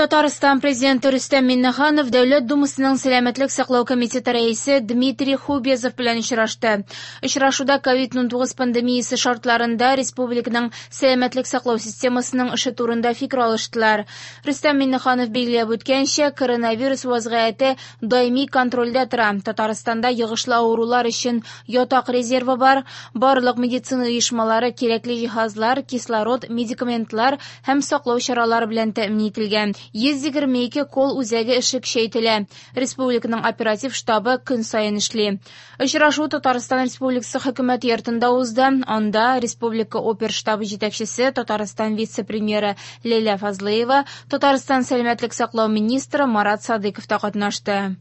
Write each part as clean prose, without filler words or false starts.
Татарстан Президенты Рөстәм Миңнеханов Дәүләт Думасының Сәламәтлек саклау комитеты рәисе Дмитрий Хубезов белән очрашты. Очрашуда COVID-19 пандемиясе шартларында республиканың сәламәтлек саклау системасының эше турында фикер алыштылар. Рөстәм Миңнеханов билгеләп үткәнчә, коронавирус вазгыяте даими контрольдә тора. Татарстанда йогышлы авырулар өчен ятак резервы бар. Барлык медицина оешмалары кирәкле җиһазлар, кислород, медикаментлар һәм саклау чаралары белән тәэмин ителгән. 122 колл-үзәге эше көчәйтелә. Республиканың оператив штабы көн саен эшли. Очрашу Татарстан Республикасы Хөкүмәт йортында узды. Анда Республика оперштабы җитәкчесе, Татарстан вице-премьеры Ләйлә Фазлыева, Татарстан сәламәтлек саклау министры Марат Садыйков та катнашты.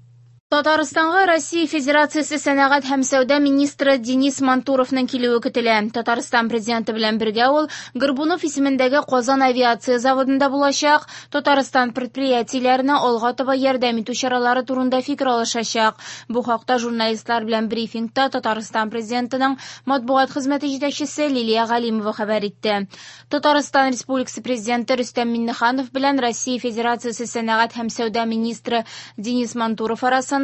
Татарстанга Россия Федерациясе сәнәгать һәм сәүдә министры Денис Мантуровның килүе көтелә. Татарстан президенты белән бергә ул Горбунов исемендәге Казан авиация заводында булачак, Татарстан предприятиеләренә алга таба ярдәм итү чаралары турында фикер алышачак. Бу хакта журналистлар белән брифингта Татарстан президентының матбугат хезмәте җитәкчесе Лилия Галимова хәбәр итте. Татарстан Республикасы Президенты Рөстәм Миңнеханов белән Россия Федерациясе сәнәгать һәм сәүдә министры Денис Мантуров арасында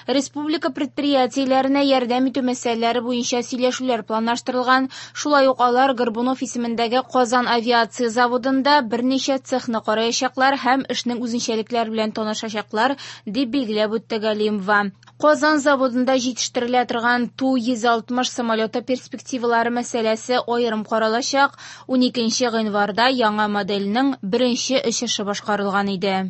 республика предприятиеләренә ярдәм итү мәсьәләләре буенча сөйләшүләр планлаштырылган. Шулай ук алар Горбунов исемендәге Казан авиация заводында берничә цехны караячаклар һәм эшнең үзенчәлекләре белән танышачаклар, дип билгеләп үтте Галимова. Казан заводында җитештерелә торган Ту-160 самолеты перспективалары мәсьәләсе аерым каралачак. 12 гыйнварда яңа модельнең беренче очышы башкарылган иде.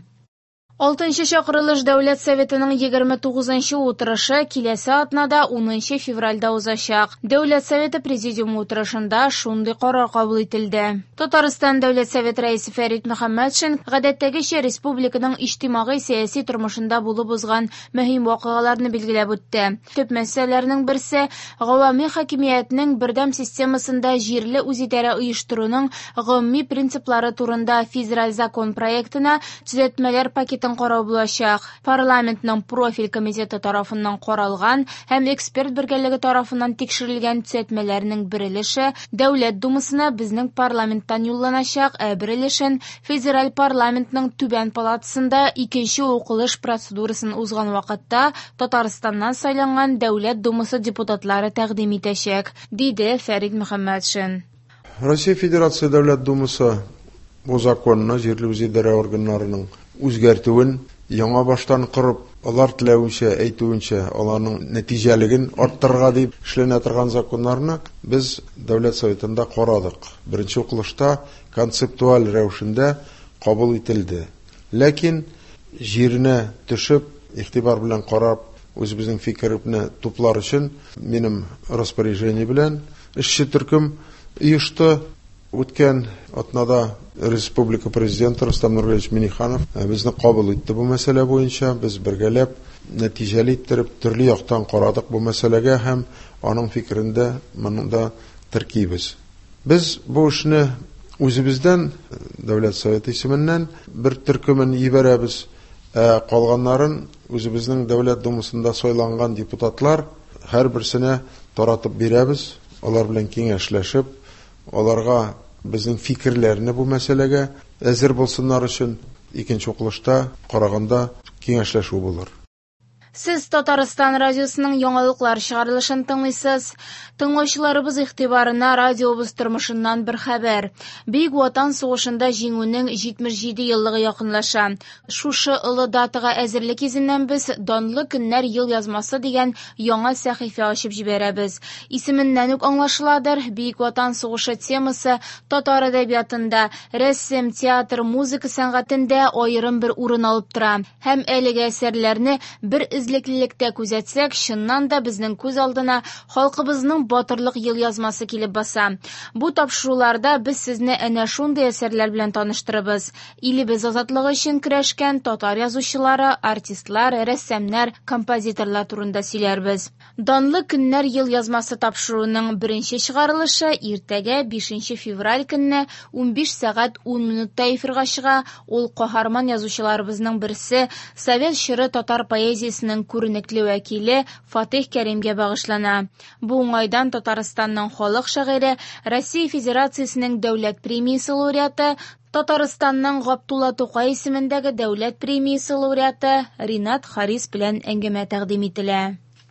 Алтынчы чакырылыш Дәүләт Советының 29 утырышы киләсе атнада 10 февральдә узачак. Дәүләт Советы президиумы утырышында шундый карар кабул ителде. Татарстан Дәүләт Советы рәисе Фәрит Мөхәммәтшин гадәттәгечә республиканың иҗтимагый-сәяси тормышында булып узган мөһим вакыйгаларны билгеләп үтте. Төп мәсьәләләрнең берсе гавами хакимиятнең бердәм системасында җирле үзидарә оештыруның гомуми принциплары турында федераль закон проектына төзәтмәләр пакетын карау булачак. Парламентның профиль комитеты тарафыннан каралган һәм эксперт бергәлеге тарафыннан тикшерелгән төзәтмәләрнең бер өлеше Дәүләт Думасына безнең парламенттан юлланачак, ә бер өлешен федераль парламентның түбән палатасында икенче укылыш процедурасын узган вакытта Татарстаннан сайланган Дәүләт Думасы депутатлары тәкъдим итәчәк, диде Фәрит Мөхәммәтшин. Россия Федерация Дәүләт Думасы бу законны җирле үзидарә органнарының үзгәртүен яңа баштан корып, алар теләвенчә, әйтүенчә, аларның нәтиҗәлеген арттырырга дип эшләнә торган законнарны без Дәүләт Советында карадык. Беренче укылышта концептуаль рәвешендә кабул ителде. Ләкин җиренә төшеп, игътибар белән карап, үзебезнең фикерне туплар өчен минем распоряжение белән эшче төркем оешты. Үткән атнада республика президенты Рөстәм Нургалиевич Минниханов безне кабул итте бу мәсьәлә буенча. Без бергәләп нәтиҗәле иттереп төрле яктан карадык бу мәсьәләгә һәм аның фикерен дә монда теркибез. Без бу эшне үзебездән, Дәүләт Советы исеменнән бер төркемен җибәрәбез, ә калганнарын үзебезнең Дәүләт Думасында сайланган депутатлар һәрберсенә таратып бирәбез, алар белән киңәшләшеп, аларга безнең фикерләрне бу мәсьәләгә әзер булсыннар өчен икенче укылышта караганда киңәшләшү булыр. Сез Татарстан радиосының яңалыклар чыгарылышын тыңлыйсыз. Тыңлаучыларыбыз игътибарына радиобыз тормышыннан бер хәбәр. Бөек Ватан сугышында җиңүнең 77 еллыгы якынлаша. Шушы олы датага әзерлек йөзеннән без Данлы көннәр ел язмасы дигән яңа сәхифә ачып җибәрәбез. Исеменнән үк аңлашыладыр, Бөек Ватан сугышы темасы татар әдәбиятында, рәсем, театр, музыка сәнгатендә аерым бер урын алып тора. Һәм әлеге әсәрләрне бер эзлеклелектә күзәтсәк, чыннан да безнең күз алдына халкыбызның батырлык елъязмасы килеп баса. Бу тапшыруларда без сезне әнә шундый әсәрләр белән таныштырабыз. Илебез азатлыгы өчен көрәшкән татар язучылары, артистлар, рәссамнар, композиторлар турында сөйләрбез. Данлы көннәр елъязмасы тапшыруының беренче чыгарылышы иртәгә 5 февраль көнне 15 сәгать 10 минутта эфирга чыга. Ул каһарман язучыларыбызның берсе, совет чоры татар поэзиясенең музыкасының күренекле вәкиле Фатих Кәримгә багышлана. Бу уңайдан Татарстанның халык шагыйре, Россия Федерациясенең дәүләт премиясе лауреаты, Татарстанның Габдулла Тукай исемендәге дәүләт премиясе лауреаты Ренат Харис белән әңгәмә тәкъдим ителә.